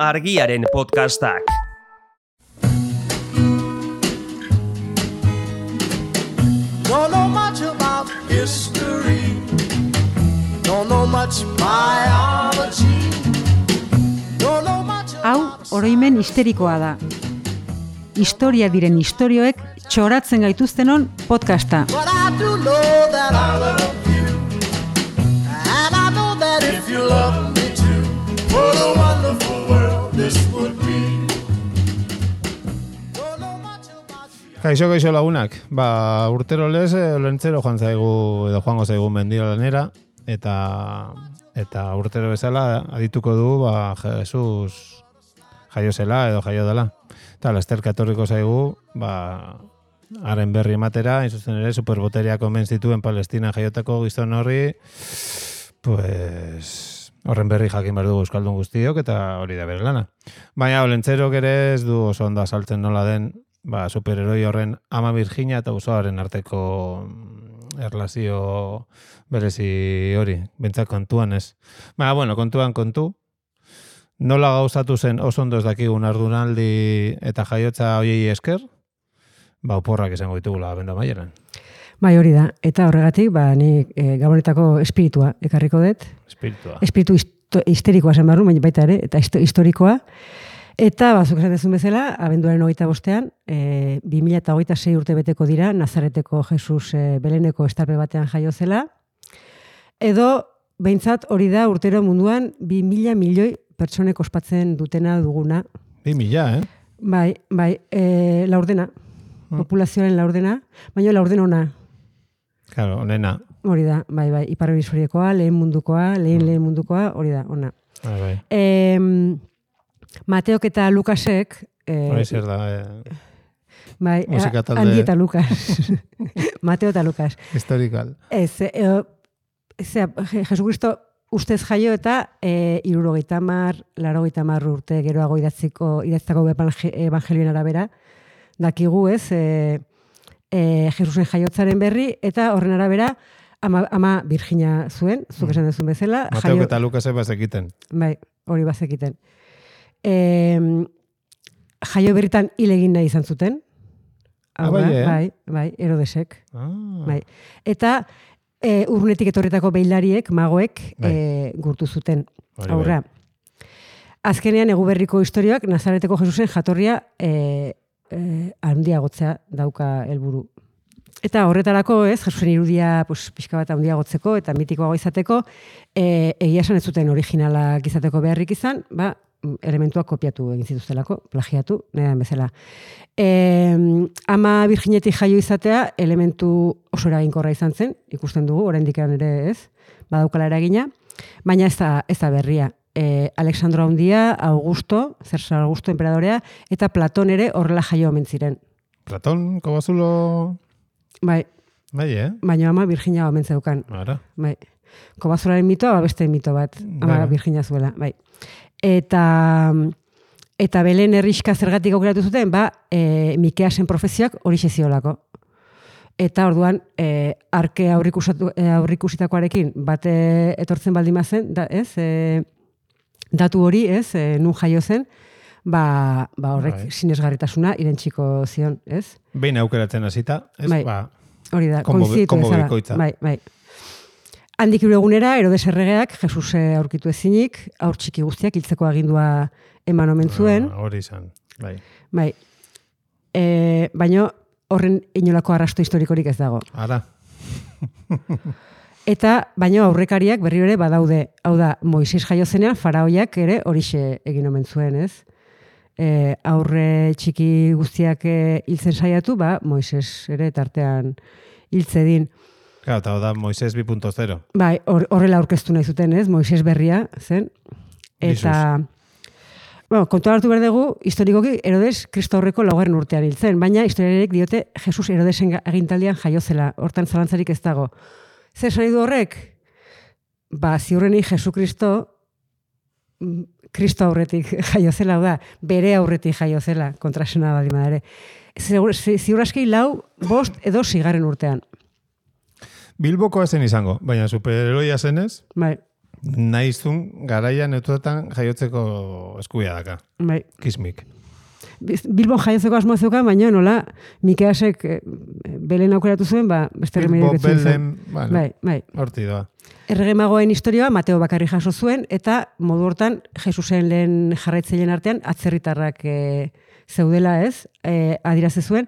Argiaren podcastak. Don't know much about history. Don't know much biology. Don't know much Hau oroimen histerikoa da. Historia diren istorioek txoratzen gaituztenon podcasta. But I do know that I love you. And I know that if you love me too, what a wonderful world this would be. Don't know much about you. Kaixo lagunak, urtero lez, lentzero joango zaigu mendira lanera, eta urtero bezala adituko du, Jesus jaio zela edo jaio dela. Eta lasterka etorriko zaigu, haren berri ematera, inzuzen ere, superboteriak omen zituen Palestina jaiotako gizon horri, horren berri jakin behar dugu euskaldun guztiok, eta hori da bere lana. Baina, lentzerok ere ez du oso ondo azaltzen nola den, superheroi horren ama Virginia eta usoaren arteko erlazio berezi hori, bentsat kontuan ez. Kontu. Nola gauzatu zen oso ondo ez dakigun ardunaldi eta jaiotza hoiei esker, oporrak izango ditugula abendu amaieran. Bai, hori da. Eta horregatik, ni gabonetako espiritua ekarriko dut. Espiritu histerikoa zen barru, baina baita ere, eta historikoa. Eta, zuk esatezun bezala, abenduaren 25ean, 2026 urte beteko dira, Nazareteko Jesus Beleneko estarpe batean jaio zela. Edo, behintzat hori da urtero munduan 2.000 milioi pertsonek ospatzen dutena duguna. 2.000, Bai, laurdena. Populazioaren laurdena, baina laurden ona. Claro, onena. Hori da, bai, Ipar Hemisferiokoa, lehen mundukoa, hori da, ona. Bai. Mateok eta Lukasek... Hori zer da, bai, musikatalde... Andi eta Lukas. Mateo eta Lukas. Historikal. Jesucristo ustez jaio eta 70, 80 urte geroago idatzitako evangelioen arabera. Dakigu ez, Jesusen jaiotzaren berri, eta horren arabera ama Virginia zuen, zuk esan dezun bezala. Mateok eta Lukasek bazekiten. Bai, hori bazekiten. Jaio berritan hil egin nahi izan zuten. Bai, Herodesek. Bai. Eta urrunetik etorritako beilariek, magoek, gurtu zuten. Aurra. Azkenean Eguberriko historioak Nazareteko Jesusen jatorria handiagotzea dauka helburu. Eta horretarako Jesusen irudia pixka bat handiagotzeko eta mitikoago izateko, egia esan ez zuten originalak izateko beharrik izan, elementuak kopiatu egin zituztelako, plagiatu, nahi bezala. Ama Virginetik jaio izatea elementu oso eraginkorra izan zen, ikusten dugu, oraindik ere ez, badaukala eragina, baina ez da berria. Alexandro Handia, Cesar Augusto enperadorea, eta Platon ere horrela jaio omen ziren. Platon, Kobazulo... Bai, baina ama Virginia omen zeukan. Bai. Kobazularen mitoa, beste mito bat, ama Virginia zuela, bai. Eta Belen herrixka zergatik aukeratu zuten, Mikeasen profezioak horixe ziolako. Eta orduan, arke aurrikusitakoarekin bate etortzen baldimazen, datu hori, nun jaio zen, horrek sinesgarritasuna irentsiko zion, ez? Behin aukeratzen hasita, ez? Hori da, koinziditu bezala. Bai. Handik egunera, Herodes erregeak, Jesus aurkitu ezinik, aur txiki guztiak hiltzeko agindua eman omen zuen. Hori izan, bai. Bai. Baina horren inolako arrasto historikorik ez dago. Ara. Eta, baina aurrekariak berri ere badaude. Hau da, Moises jaio zenean, faraoiak ere horixe egin omen zuen, ez? Aurre txiki guztiak hiltzen saiatu, Moises ere tartean hiltzedin. Claro, eta da Moises 2.0. Bai, horrela aurkeztu nahi zuten, ez? Moises berria, zen. Eta, kontuan hartu behar dugu, historikoki Herodes Kristo aurreko 4. urtean hil zen, baina historiarek diote Jesus Herodesen agintaldian jaio zela, hortan zalantzarik ez dago. Zer esan nahi du horrek? Ziurrenik Jesukristo Kristo aurretik jaio zela, bere aurretik jaio zela, kontrasena baldin ere. Ziur aski 4, 5 edo 6. urtean. Bilboko zen izango, baina superheroia zenez? Bai. Naizun garaian eutuetan jaiotzeko eskubia daka. Bai. Kismik. Bilbon jaiotzeko asmoa zeukan, baina nola Mikeasek Belen aukeratu zuen, beste remedio Bilbo, Belen, bueno, bai. Horti doa. Errege magoen historioa Mateo bakarri jaso zuen, eta modu hortan Jesusen lehen jarraitzaileen artean atzerritarrak zeudela, ez? Adiraze zuen.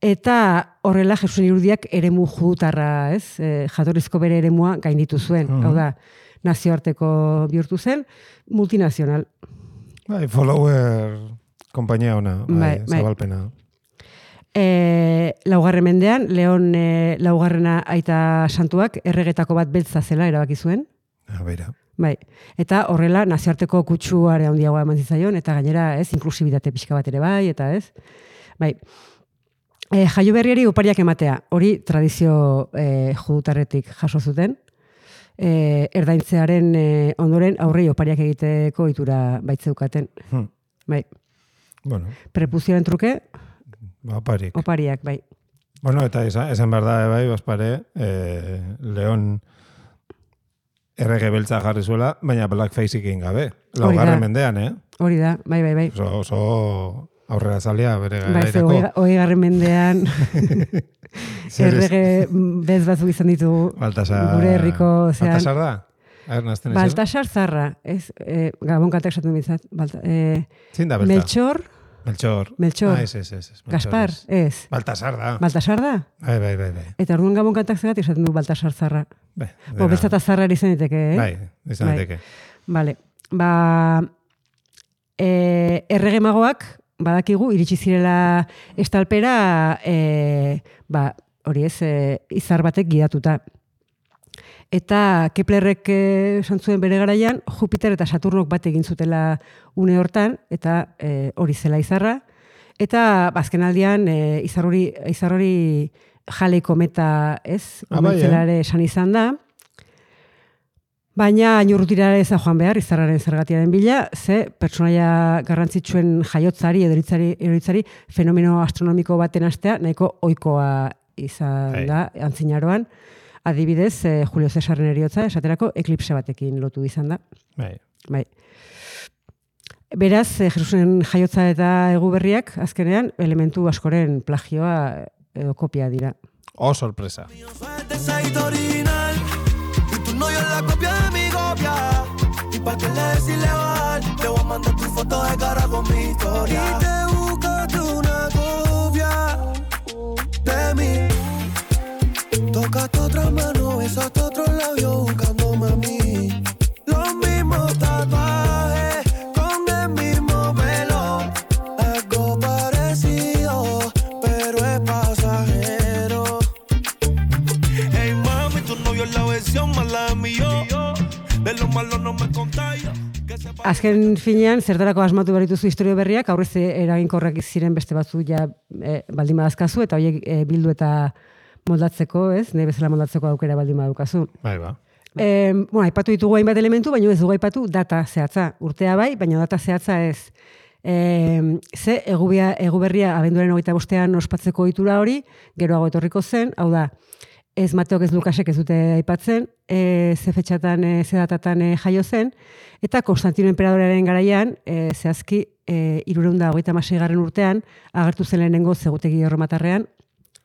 Eta horrela Jesusen irudiak eremu judutarra, ez? Jatorrizko bere eremua gainditu zuen. Hau da, nazioarteko bihurtu zen, multinazional. Bai, follower kompainia ona, bai. Zabalpena. Laugarren mendean, Leon laugarrena aita santuak erregetako bat beltza zela erabaki zuen. Beira. Bai. Eta horrela nazioarteko kutsuare handiagoa eman zitzaion, eta gainera, ez, inklusibitate pixka bat ere bai, eta ez. Bai. Jaio berriari opariak ematea, hori tradizio judutarretik jaso zuten. Erdaintzearen ondoren aurrei opariak egiteko itura baitzeukaten. Bai. Bueno. Prepuzioaren truke? Oparik. Opariak, bai. Bueno, eta esan behar da, bai, bazpare, Leon errege beltza jarri zuela, baina blackface egin gabe. Laugarren mendean, Hori da, bai. Oso aurrera zalia bere garairako. Bai, hogeigarren mendean errege bez batzuk izan ditugu gure herriko. Baltasar da? Baltasar zarra. Gabon kantak esaten bizat. Zin da beltza? Melchor. Ez. Gaspar, ez. Baltasar da. Baltasar da? Bai. Eta orduan gabon kantak zegat esaten du Baltasar zarra. Beltza eta zarra izan diteke, Bai, izan diteke. Vale. Errege magoak badakigu iritsi zirela estalpera hori ez, izar batek gidatuta. Eta Keplerrek esan zuen bere garaian, Jupiter eta Saturnok bat egin zutela une hortan, eta hori zela izarra. Eta azken aldian izar hori Halley kometa, ez? Omentzelare esan izan da. Baina inurrutirara ez da joan behar, izarraren zergatiaren bila, ze pertsonaia garrantzitsuen jaiotzari edo eritzari fenomeno astronomiko baten astea nahiko ohikoa izan da antzinaroan. Adibidez, Julio Cesarren eriotza esaterako eklipse batekin lotu izan da. Bai. Beraz, Jesusen jaiotza eta egu berriak azkenean elementu askoren plagioa edo kopia dira. Oh, sorpresa. Pa' que le des ilegal, te voy a mandar tu foto de cara con mi historia. Y te buscaste una copia de mí. Tocaste otra mano, besaste otro labio buscándome a mí. Los mismos tatuajes con el mismo pelo. Algo parecido, pero es pasajero. Hey mami, tu novio es la versión mala de mí yo. Azken finean, zertarako asmatu berituzu historio berriak, aurrez eraginkorrak ziren beste batzu ja baldin badazkazu, eta horiek bildu eta moldatzeko, ez? Nahi bezala moldatzeko aukera baldin badukazu. Bai, ba. Aipatu ditugu hainbat elementu, baina ez dugu aipatu data zehatza. Urtea bai, baina data zehatza ez. Ze egu berria abenduaren 25ean ospatzeko ohitura hori, geroago etorriko zen, hau da, ez Mateok ez Lukasek ez dute aipatzen, ze fetxatan, ze datatan jaio zen, eta Konstantino Enperadorearen garaian, zehazki 326. urtean, agertu zen lehenengo zegutegi erromatarrean,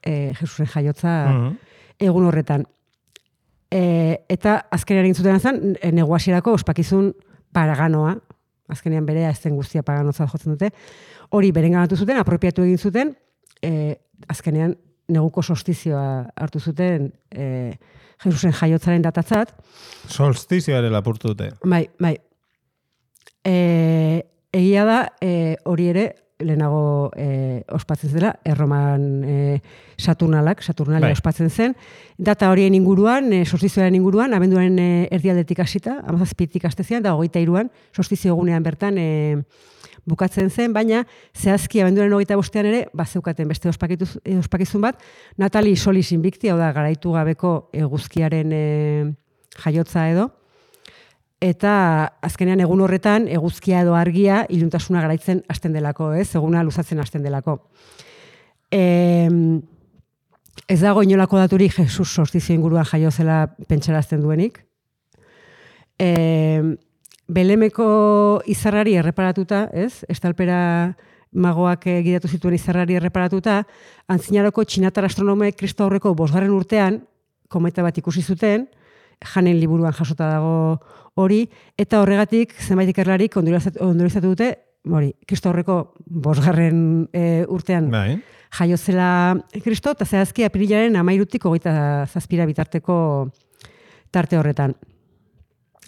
Jesusen jaiotza egun horretan. Eta azkenean egin zuten zen, neguasierako ospakizun paraganoa, azkenean berea ez zen guztia paganotzat jotzen dute, hori berenganatu zuten, apropiatu egin zuten, azkenean neguko solstizioa hartu zuten Jesusen jaiotzaren datatzat. Solstizioare lapurtu dute. Bai. Egia da, hori ere, lehenago ospatzen zela, Erroman Saturnalia ospatzen zen. Data horien inguruan, solstizioaren inguruan, abenduaren erdialdetik hasita, 17tik hastezian, da 23an, solstizio egunean bertan bukatzen zen, baina zehazki abenduaren 25ean ere, bazeukaten beste ospakizun bat, Natali Solis Invicti, hau da, garaitu gabeko eguzkiaren jaiotza edo, eta azkenean egun horretan eguzkia edo argia iluntasuna garaitzen hasten delako, eguna luzatzen hasten delako. Ez dago inolako daturik Jesus solstizio inguruan jaio zela pentsarazten duenik. Belemeko izarrari erreparatuta, ez? Estalpera magoak gidatu zituen izarrari erreparatuta, antzinaroko txinatar astronomoek Kristo aurreko 5. urtean, kometa bat ikusi zuten, Janen liburuan jasota dago hori, eta horregatik zenbait ikerlarik ondorioztatu dute, Kristo aurreko 5. Urtean jaio zela Kristo, eta zehazki apirilaren 13-tik 27 bitarteko tarte horretan.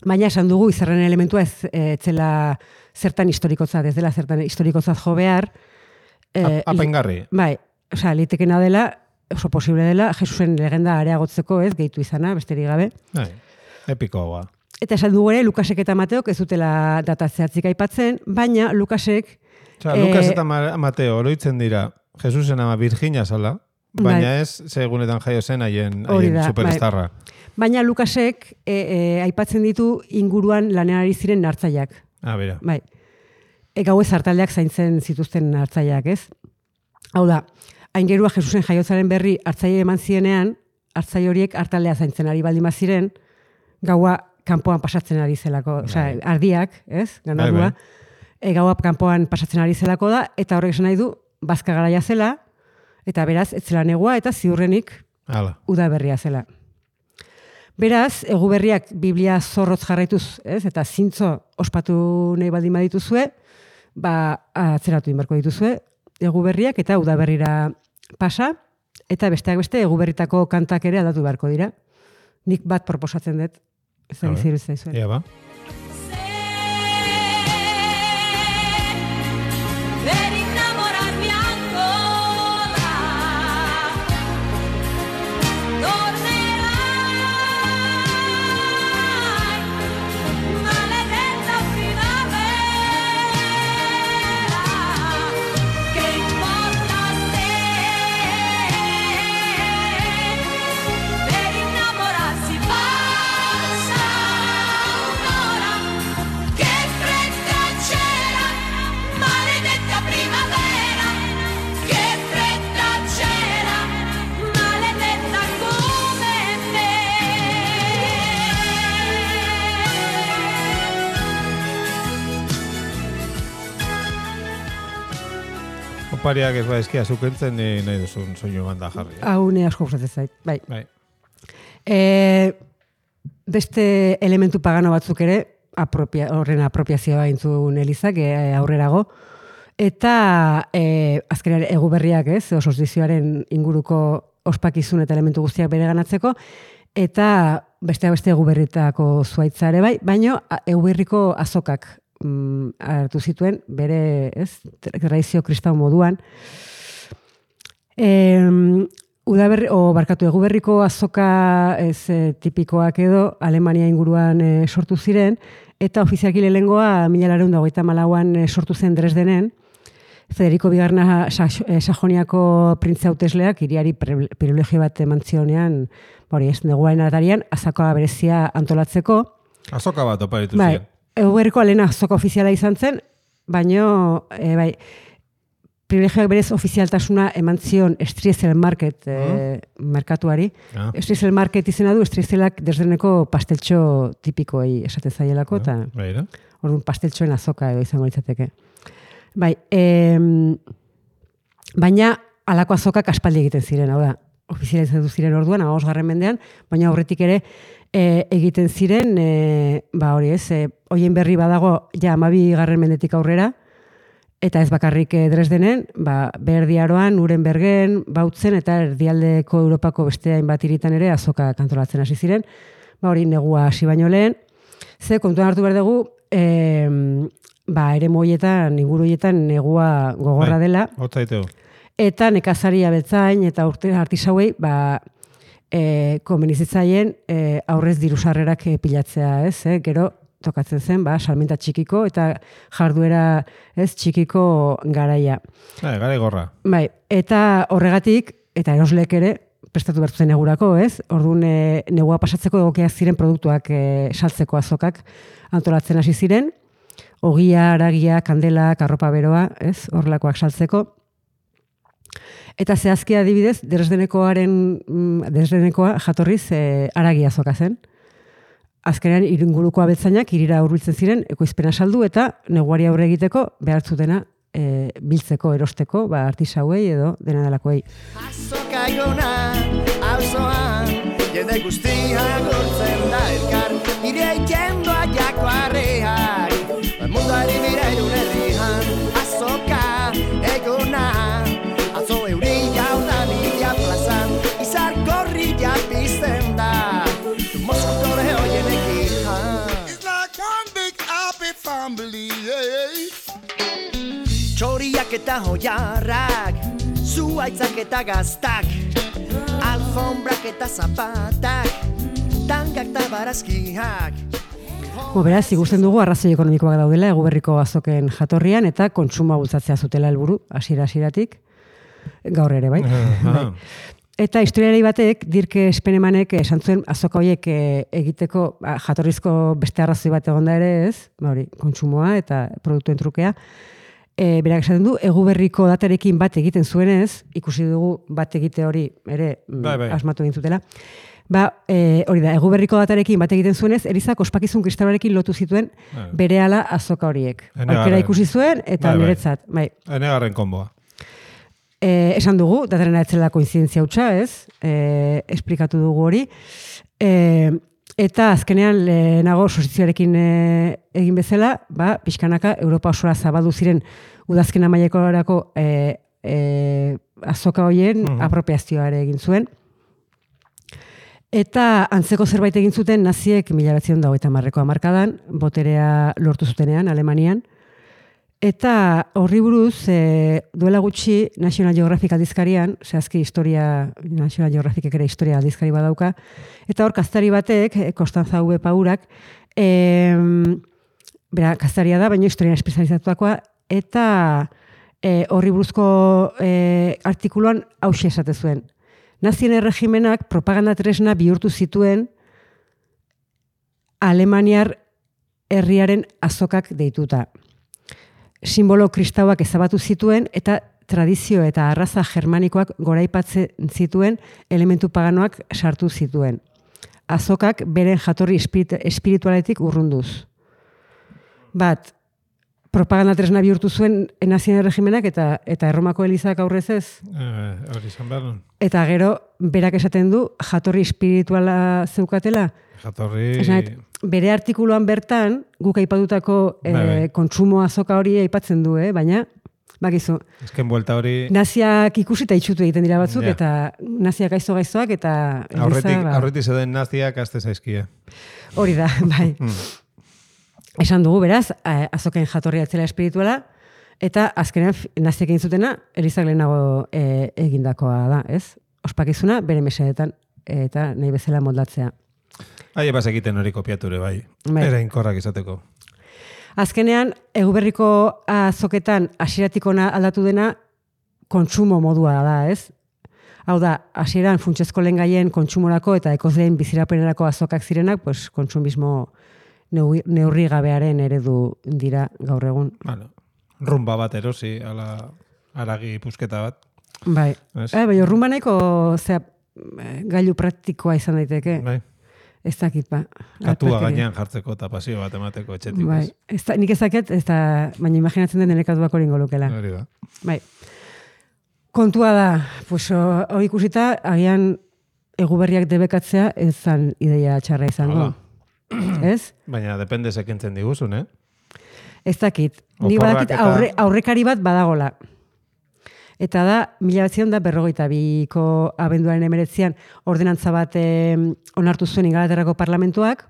Baina esan dugu izarren elementua ez zela zertan historikotzat, ez dela zertan historikotzat jo behar. Apaingarri. Bai, litekena dela, oso posible dela, Jesusen legenda areagotzeko ez, gehitu izana, besterik gabe. Bai, epikoa. Eta esan dugu ere, Lukasek eta Mateok ez dutela data zehatzik aipatzen, baina Lukasek... Lukas eta Mateo oroitzen dira Jesusen ama Virginia zala, baina ez segunetan jaio zen haien superstarra. Baina Lukasek aipatzen ditu inguruan lanean ari ziren nartzaileak. Bera. Bai. Gauez hartaldeak zaintzen zituzten nartzaileak, ez? Hau da, aingerua Jesusen jaiotzaren berri hartzaile eman zienean, hartzaile horiek hartaldea zaintzen ari baldin baziren, gaua kanpoan pasatzen ari zelako, ardiak, ez? Ganadua. Gaua kanpoan pasatzen ari zelako da, eta horrek esan nahi du, bazka garaia zela, eta beraz, ez zela negua, eta ziurrenik udaberria zela. Beraz, eguberriak Biblia zorrotz jarraituz, ez? Eta zintzo ospatu nahi baldin badituzue, atzeratu inbarko dituzue, eguberriak eta udaberrira pasa, eta besteak beste eguberritako kantak ere aldatu beharko dira. Nik bat proposatzen dut, ez da giziru ez da izuen. Ia ba. Opariak ez baizkia zukentzen nahi duzun soinu banda jarri. Hau ne asko gustatzen zait, bai. Beste elementu pagano batzuk ere, horren apropiazioa intzun Elizak aurrerago, eta azkenean eguberriak ez, osozizioaren inguruko ospakizun eta elementu guztiak bere ganatzeko, eta beste eguberritako zuaitza ere bai, baino eguberriko azokak hartu zituen, bere, ez, tradizio kristau moduan. Eguberriko azoka tipikoak edo Alemania inguruan sortu ziren, eta ofizialki lehengoa 1924an sortu zen Dresdenen, Federico Bigarna Sajoniako printze hautesleak hiriari privilegio bat eman zionean, neguaren atarian, azoka berezia antolatzeko. Azoka bat oparitu ziren. Eguberriko alena azoka ofiziala izan zen, baino, privilegioak berez ofizialtasuna eman zion Striezel Market merkatuari. Striezel Market izena du, Striezelak Dresdeneko pasteltxo tipikoei esate zaielako, eta orduan pasteltxoen azoka edo izango litzateke. Baina alako azokak aspaldi egiten ziren, hau da, ofizializatu ziren orduan, 15. mendean, baina aurretik ere egiten ziren, hoien berri badago, 12. mendetik aurrera, eta ez bakarrik Dresdenen, Berdiaroan, Nurembergen, Bautzen, eta erdialdeko Europako beste hainbat hiritan ere azoka kantolatzen hasi ziren, negua hasi baino lehen, ze kontuan hartu behar dugu, eremu horietan, inguru horietan negua gogorra dela, eta nekazari abeltzain eta artisauei, komenizitzaien aurrez dirusarrerak pilatzea, ez? Gero tokatzen zen, salmenta txikiko eta jarduera txikiko garaia. Garai gorra. Eta horregatik, eta erosleek ere, prestatu bertu zen negurako, ez? Orduan negua pasatzeko egokiak ziren produktuak saltzeko azokak antolatzen hasi ziren, ogia, aragia, kandela, arropa beroa, ez? Horrelakoak saltzeko. Eta zehazki adibidez, Dresdenekoa jatorriz aragia azoka zen. azkenean inguruko abeltzainak hirira hurbiltzen ziren ekoizpena saldu eta neguari aurre egiteko behar zutena biltzeko, erosteko, artisauei edo dena delakoei. Azoka igona, auzoan, jende guztia gortzen da elkar, nire ikendoa jako arreak, munduari bira irunerian. Azoka egona, atzo euria udan idia plazan, izar gorria pizten da, moskutore hoienek ikan. It's like one big happy family, Txoriak eta hoiarrak, zuaitzak eta gaztak, alfombrak eta zapatak, tangak eta barazkiak. Beraz, ikusten dugu arrazoi ekonomikoak daudela Eguberriko azoken jatorrian eta kontsumoa bultzatzea zutela helburu hasieratik gaur ere, bai. Eta historialari batek, Dirk Spenemanek esan zuen azoka horiek egiteko jatorrizko beste arrazoi bat egonda ere ez, kontsumoa eta produktuen trukea. Berak esaten du, Eguberriko datarekin bat egiten zuenez, ikusi dugu bat egite hori ere asmatu egin zutela. Hori da, Eguberriko datarekin bat egiten zuenez, Elizak ospakizun kristauarekin lotu zituen berehala azoka horiek. Aukera ikusi zuen eta niretzat. Enegarren konboa. Esan dugu, datarena etzela koinzidentzia hutsa, ez? Esplikatu dugu hori. Eta azkenean lehenago sosizioarekin egin bezala, pixkanaka Europa osora zabaldu ziren udazken amaiekorako azoka horien apropiazioa ere egin zuen. Eta antzeko zerbait egin zuten naziek 1930ko hamarkadan, boterea lortu zutenean Alemanian. Eta horri buruz, duela gutxi National Geographic aldizkarian, zehazki National Geographicek ere historia aldizkari badauka, eta hor kaztari batek, Konstanza V. Paurak, kaztaria da, baina historian espezializatuakoa, eta horri buruzko artikuluan hauxe esate zuen. Nazien erregimenak propaganda tresna bihurtu zituen Alemaniar herriaren azokak deituta. Simbolo kristauak ezabatu zituen eta tradizio eta arraza germanikoak goraipatzen zituen elementu paganoak sartu zituen. Azokak beren jatorri espiritualetik urrunduz. Propaganda tresna bihurtu zuen nazien erregimenak eta Erromako Elizak aurrez ez. Hori izan behar nun. Eta gero, berak esaten du, jatorri espirituala zeukatela. Bere artikuluan bertan, guk aipatutako kontsumo azoka hori aipatzen du, baina, bakizu. Ezken buelta hori... Naziak ikusita itxutu egiten dira batzuk, eta naziak gaiztoak, eta... Aurretik zeuden naziak azte zaizkia. Hori da, bai. Esan dugu, beraz, azoken jatorria etzela espirituala, eta azkenean naziak egin zutena, Elizak lehenago egindakoa da, ez? Ospakizuna, bere mesedetan, eta nahi bezala moldatzea. Ebaz egiten hori kopiature, bai. Era inkorrak izateko. Azkenean, Eguberriko azoketan hasieratik ona aldatu dena kontsumo modua da, ez? Hau da, hasieran funtsezko lehengaien kontsumorako eta ekozleen bizirapenerako azokak zirenak, pues, kontsumismo neurri gabearen eredu dira gaur egun. Rumba bat erosi, aragi pusketa bat. Bai, rumba nahiko gailu praktikoa izan daiteke. Bai. Ez dakit, Katua gainean jartzeko eta pasio bat emateko etxetik. Bai, nik ezaket, baina imaginatzen den ere katuak hori ingolukela. Hori da. Bai. Kontua da, hori ikusita, agian Eguberriak debekatzea ez zan ideia txarra izango. Ez? Baina depende sekentzen diguzun, Ez dakit. Ni badakit aurrekari bat badagola. Eta da, 1952ko abenduaren 19 ordenantza bat onartu zuen Ingalaterrako parlamentuak,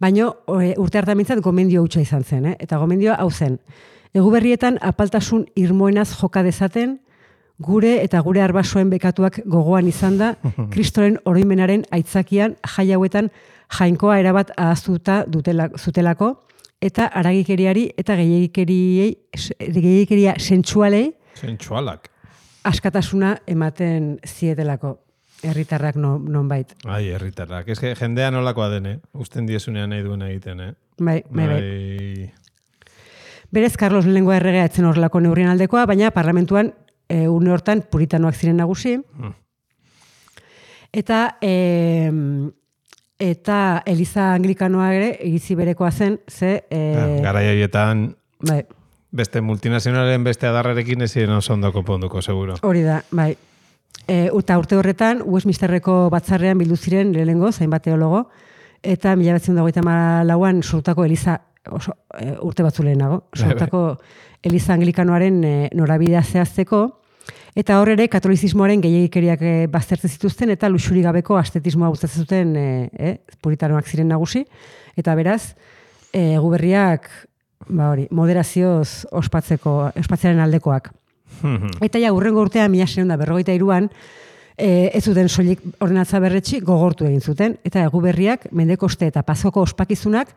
baina urte hartan mintzat gomendio hutsa izan zen. Eta gomendioa hau zen. Eguberrietan apaltasun irmoenaz joka dezaten, gure eta gure arbasoen bekatuak gogoan izan da, Kristoren oroimenaren aitzakian jai hauetan jainkoa erabat ahaztuta zutelako, eta haragikeriari eta gehiagikeria sentsualei askatasuna ematen zietelako herritarrak nonbait. Herritarrak. Ez que jendea nolakoa dene, usten diezunean nahi duen egiten, Bai. Berez, Carlos Lehenengoa erregea etzen horrelako neurrien aldekoa, baina parlamentuan une hortan puritanoak ziren nagusi. Eta eta Eliza Anglikanoa ere egizi berekoa zen, Garai horietan bai, beste multinazionalen beste adarrarekin ezin oso ondo konponduko, seguro. hori da, bai. Eta urte horretan, Westminsterreko batzarrean bildu ziren lehenengo, zainbat teologo, eta 1924an sortutako Eliza, urte batzu lehenago, sortutako Eliza Anglikanoaren norabidea zehazteko, eta hor ere katolizismoaren gehiagikeriak baztertzen zituzten, eta luxuri gabeko astetismoa gustatzen zuten puritanoak ziren nagusi, eta beraz, Eguberriak moderazioz ospatzearen aldekoak. Eta ja, hurrengo urtean, 1943an, ez zuten soilik ordenatza berretsi gogortu egin zuten, eta Eguberriak Mendekoste eta Pazoko ospakizunak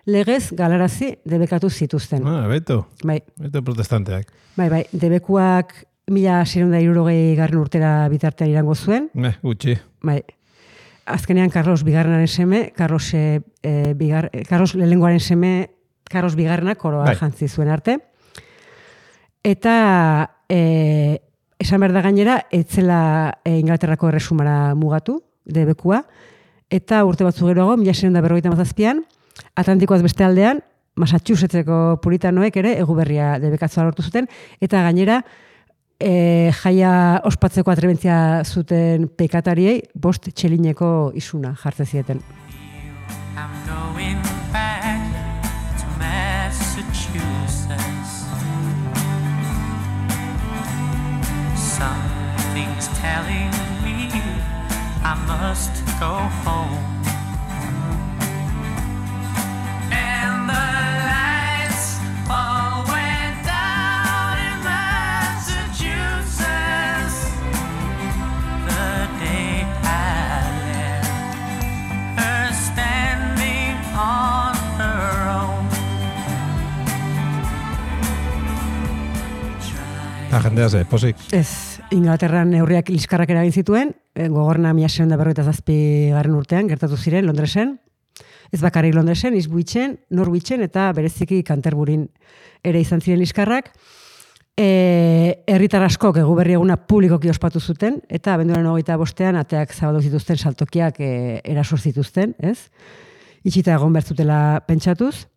legez galarazi debekatu zituzten. Beto. Bai. Beto protestanteak. Bai, debekuak 1660 urtera bitartean irango zuen. Gutxi. Bai. Azkenean Carlos Bigarrenaren seme, Carlos lehenengoaren seme, Carlos Bigarrenak koroa jantzi zuen arte. Eta esan behar da gainera, etzela Inglaterrako erresumara mugatu, debekua, eta urte batzu geroago, 1657an, Atlantikoaz beste aldean, Massachusettseko puritanoek ere Eguberria debekatzea lortu zuten, eta gainera, jaia ospatzeko atrebentzia zuten pekatariei 5 txelineko isuna jartzen zieten. I'm going back to Massachusetts. Something's telling me I must go home. And the lights all went down in Massachusetts the day I left her standing on her own. Jendea ze, posik. Ez, Inglaterran neurriak liskarrak eragin zituen, gogorna 1657 urtean, gertatu ziren Londresen, ez bakarrik Londresen, Eastwichen, Norwichen eta bereziki Canterburyn ere izan ziren liskarrak. Herritar askok Eguberri eguna publikoki ospatu zuten, eta abenduaren 25ean ateak zabaldu zituzten saltokiak eraso zituzten, ez? Itxita egon behar zutela pentsatuz.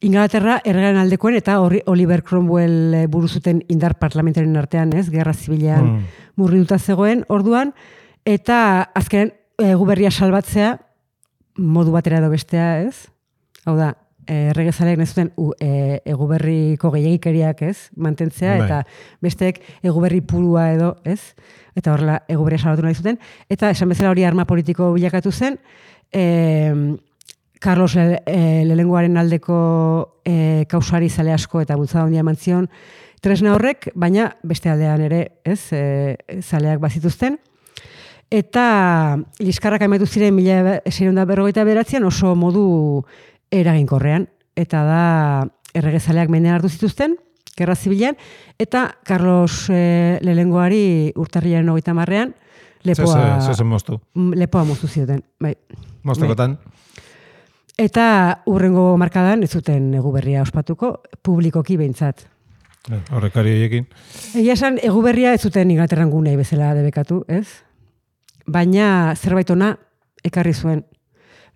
Inglaterra erregaren aldekoen eta Oliver Cromwell buru zuten indar parlamentaren artean, ez? Gerra zibilean murriduta zegoen orduan, eta azkenen Eguberria salbatzea modu batera edo bestea, ez? Hau da, erregezaleak nezuten Eguberriko gehiagikeriak, ez? Mantentzea, eta besteek Eguberri purua edo, ez? Eta horrela Eguberria salbatu nahi zuten. Eta esan bezala hori arma politiko bilakatu zen, Carlos lehenengoaren aldeko kausari zale asko eta bultzada handia eman zion tresna horrek, baina beste aldean ere, ez, zaleak bazituzten. Eta liskarrak amaitu ziren 1659an oso modu eraginkorrean, eta da erregezaleak mendean hartu zituzten, gerra zibilean, eta Carlos lehenengoari urtarrilaren 30ean lepoa moztu zioten. Bai. Moztekotan. Eta hurrengo markadan ez zuten Eguberria ospatuko, publikoki behintzat. Horrekari horiekin. Egia esan, Eguberria ez zuten Inglaterran gunei bezala debekatu, ez? Baina zerbait ona ekarri zuen.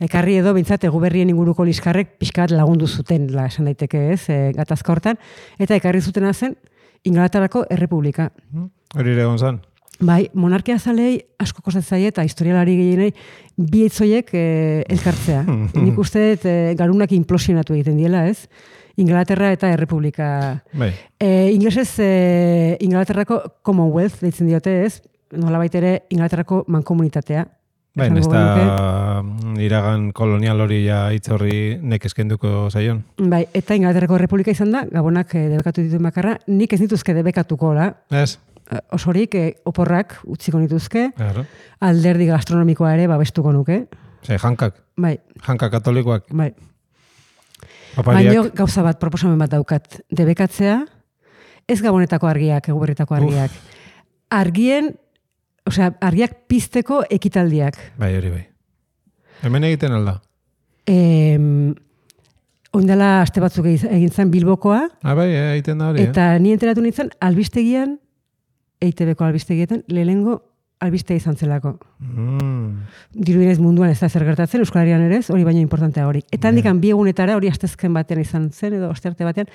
Ekarri edo behintzat Eguberrien inguruko liskarrek pixka bat lagundu zuten, esan daiteke, ez? Gatazka hortan. Eta ekarri zutena zen Inglaterrako Errepublika. Hori ere gonzan. Bai, monarkia zalei asko kostatzen eta historialari gehienei bi hitzoiek elkartzea. Nik uste dut garunak implosionatu egiten diela, ez? Inglaterra eta Errepublika. Bai. Inglesez Inglaterrako Commonwealth deitzen diote, ez? Nolabait ere Inglaterrako mankomunitatea. Bai, ez da iragan kolonial hori ja hitz horri nekeskenduko zaion. Bai, eta Inglaterrako Errepublika izan da, Gabonak debekatu dituen bakarra, nik ez dituzke debekatuko, Ez? Osorik oporrak utziko nituzke, Claro. alderdi gastronomikoa ere babestuko nuke. Jankak. Bai. Janka katolikoak. Bai. Papariak. Baina gauza bat, proposamen bat daukat. Debekatzea, ez Gabonetako argiak, Eguberritako argiak. Argiak pizteko ekitaldiak. Bai, hori bai. Hemen egiten alda. Oindala aste batzuk egin zen Bilbokoa. Bai, egiten da hori. Eta ni enteratu nintzen albistegian, EITB-ko albistegietan, lehenengo albiste izan zelako. Dirudinez munduan ez da zer gertatzen, Euskal Herrian ere ez, hori baino importantea hori. Eta handikan bi egunetara, hori astezken batean izan zen, edo ostearte batean,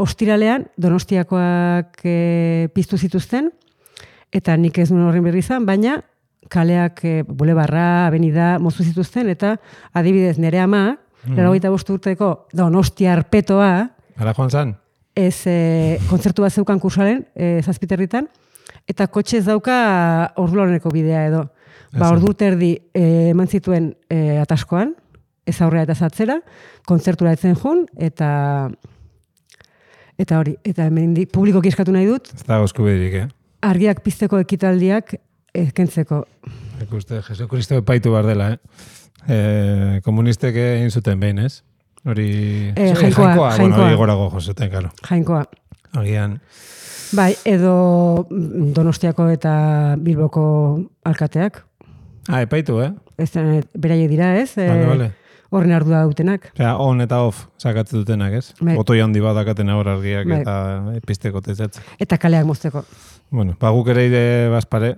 ostiralean Donostiakoak piztu zituzten, eta nik ez nuen horren berri izan, baina kaleak bulebarra, avenida, moztu zituzten, eta adibidez nere ama, 85 urteko Donostiar petoa, Ara joan zan? ez kontzertu bat zeukan kursalen, Zazpiterritan, eta kotxe ez dauka orduloneko bidea edo. Ordu terdi eman zituen ataskoan, ez aurrera eta zatzera, kontzertura etzen jun, eta hori, eta hemendik publikoki eskatu nahi dut, Ez da eskubiderik, argiak pizteko ekitaldiak kentzeko. Ikuste, Jesu Kristo epaitu behar dela, komunistek egin zuten behin, ez? Hori... Jainkoa. Bueno, hori gorago josuten, karo. Jainkoa. Agian... Bai, edo Donostiako eta Bilboko alkateak. Epaitu, Beraie dira, ez? Vale. Horren ardua dutenak. Osea, on eta off sakatzen dutenak, ez? Bai. Otoi handi bat dakaten hor argiak Bai. eta pizteko tezatzeko. Eta kaleak mozteko. Bueno, guk ere ide bazpare,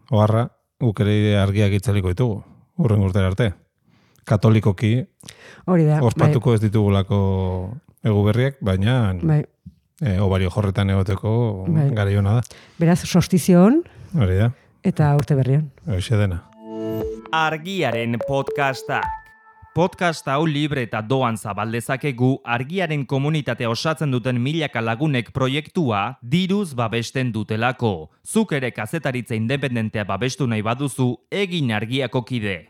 oharra, guk ere ide argiak itzaliko ditugu, urren urtera arte. Katolikoki, Hori da. ospatuko ez ditugulako egu berriak, baina Bai. obario jorretan egoteko Bai. garaiona da. Beraz, solstizio on Hori da, eta urte berrian. hoxe dena. Argiaren podcastak. Podcast hau libre eta doan zabaldezakegu Argiaren komunitatea osatzen duten milaka lagunek proiektua diruz babesten dutelako. Zuk ere kazetaritza independentea babestu nahi baduzu, egin Argiako kide.